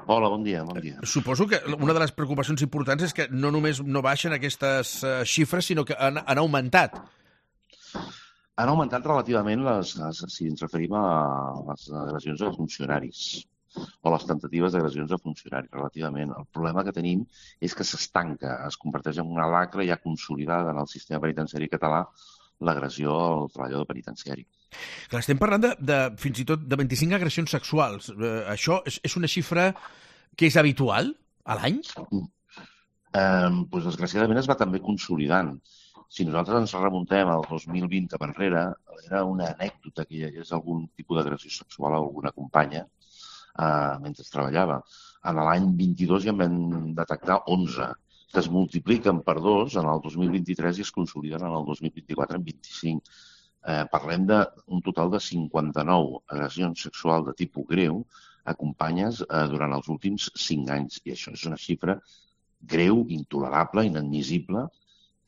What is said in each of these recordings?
Hola, bon dia, bon dia. Suposo que una de les preocupacions importants és que no només no baixen aquestes xifres, sinó que han augmentat. Han augmentat relativament si ens referim a les agressions a funcionaris o les tentatives d'agressions a funcionaris, relativament. El problema que tenim és que s'estanca, es converteix en una lacra ja consolidada en el sistema penitenciari català l'agressió al treballador penitenciari. Clar, estem parlant fins i tot de 25 agressions sexuals. Això és una xifra que és habitual a l'any? Doncs, desgraciadament, es va també consolidant. Si nosaltres ens remuntem al 2020 cap enrere, era una anècdota que hi hagués algun tipus d'agressió sexual a alguna companya mentre treballava. En l'any 22 ja en vam detectar 11, que es multipliquen per 2 en el 2023 i es consoliden en el 2024 en 25. Parlem d'un total de 59 agressions sexuals de tipus greu a companyes durant els últims 5 anys. I això és una xifra greu, intolerable, inadmissible,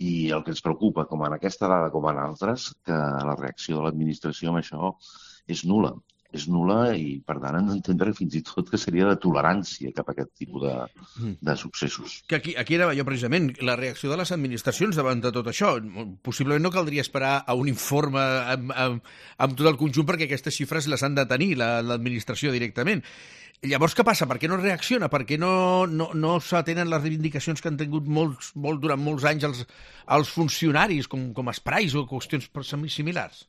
i el que ens preocupa, com en aquesta dada com en altres, que la reacció de l'administració amb això és nul·la. És nul·la i, per tant, hem d'entendre fins i tot que seria de tolerància cap a aquest tipus de successos. Que aquí era jo, precisament, la reacció de les administracions davant de tot això. Possiblement no caldria esperar a un informe amb tot el conjunt perquè aquestes xifres les han de tenir l'administració directament. Llavors, què passa? Per què no reacciona? Per què no s'atenen les reivindicacions que han tingut durant molts anys els funcionaris, com esprais o qüestions similars?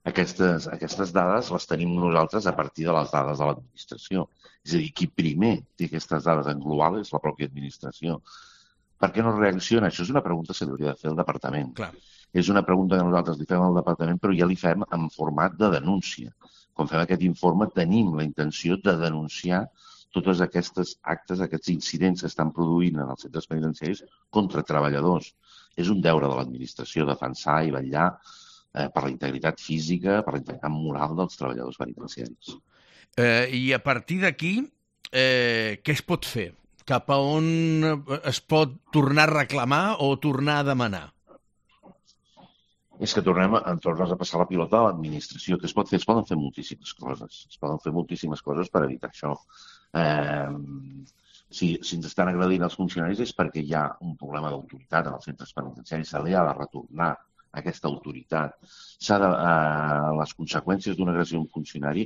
Aquestes dades les tenim nosaltres a partir de les dades de l'administració. És a dir, qui primer té aquestes dades en global és la pròpia administració. Per què no reacciona? Això és una pregunta que s'hauria de fer al departament. Clar. És una pregunta que nosaltres li fem al departament, però ja li fem en format de denúncia. Quan fem aquest informe tenim la intenció de denunciar totes aquestes actes, aquests incidents que estan produint en els centres penitenciaris contra treballadors. És un deure de l'administració defensar i vetllar per la integritat física, per la integritat moral dels treballadors penitenciaris. I a partir d'aquí, què es pot fer? Cap a on es pot tornar a reclamar o tornar a demanar? És que tornes a passar la pilota a l'administració. Què es pot fer? Es poden fer moltíssimes coses. Es poden fer moltíssimes coses per evitar això. Si ens estan agredint els funcionaris és perquè hi ha un problema d'autoritat en els centres penitenciaris. Se li ha de retornar aquesta autoritat. Les conseqüències d'una agressió a un funcionari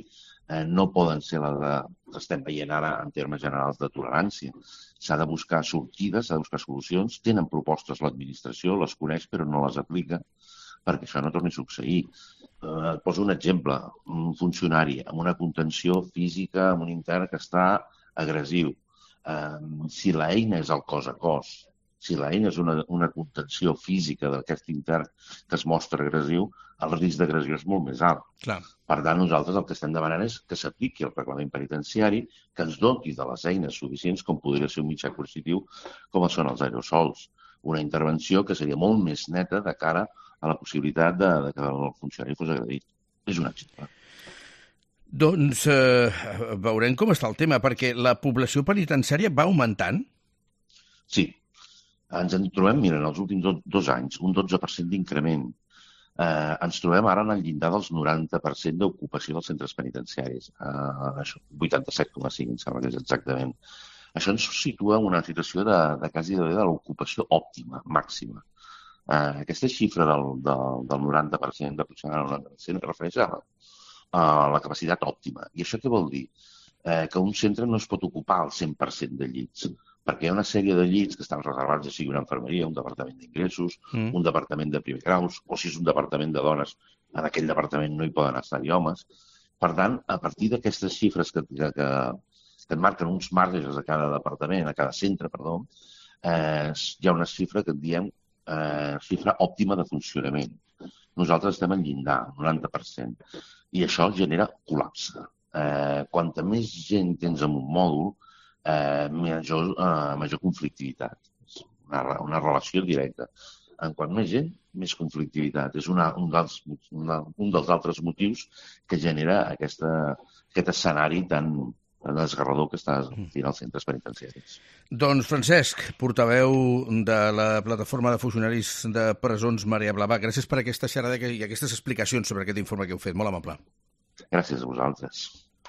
no poden ser les que estem veient ara en termes generals de tolerància. S'ha de buscar sortides, s'ha de buscar solucions. Tenen propostes l'administració, les coneix però no les aplica perquè això no torni a succeir. Et poso un exemple. Un funcionari amb una contenció física, amb un intern que està agressiu. Si l'eina és el cos a cos, si l'eina és una contenció física d'aquest intern que es mostra agressiu, el risc d'agressió és molt més alt. Clar. Per tant, nosaltres el que estem demanant és que s'apliqui el reglament penitenciari, que ens doti de les eines suficients, com podria ser un mitjà coercitiu, com són els aerosols. Una intervenció que seria molt més neta de cara a la possibilitat de que el funcionari fos agredit. És un exemple. Doncs veurem com està el tema, perquè la població penitenciària va augmentant? Sí. Ens en trobem, mira, en els últims 2 anys, un 12% d'increment. Ens trobem ara en el llindar dels 90% d'ocupació dels centres penitenciaris. 87,5, em sembla que és exactament. Això ens situa en una situació de quasi de l'ocupació òptima, màxima. Aquesta xifra del 90%, d'aproximadament el 90%, refereix a la capacitat òptima. I això què vol dir? Que un centre no es pot ocupar al 100% de llits, perquè hi ha una sèrie de llits que estan reservats, ja sigui una infermeria, un departament d'ingressos, un departament de primer graus, o si és un departament de dones, en aquell departament no hi poden estar-hi homes. Per tant, a partir d'aquestes xifres que et marquen uns marges a cada departament, a cada centre, perdó, hi ha una xifra que en diem xifra òptima de funcionament. Nosaltres estem en llindar, 90%, i això genera col·lapse. Quanta més gent tens en un mòdul, major conflictivitat. És una relació directa. En quant més gent, més conflictivitat. És un dels altres motius que genera aquest escenari tan desgarrador que està fent als centres penitenciaris. Doncs Francesc, portaveu de la Plataforma de Funcionaris de Presons Marea Blava, gràcies per aquesta xerrada i aquestes explicacions sobre aquest informe que heu fet. Molt amable. Gràcies a vosaltres.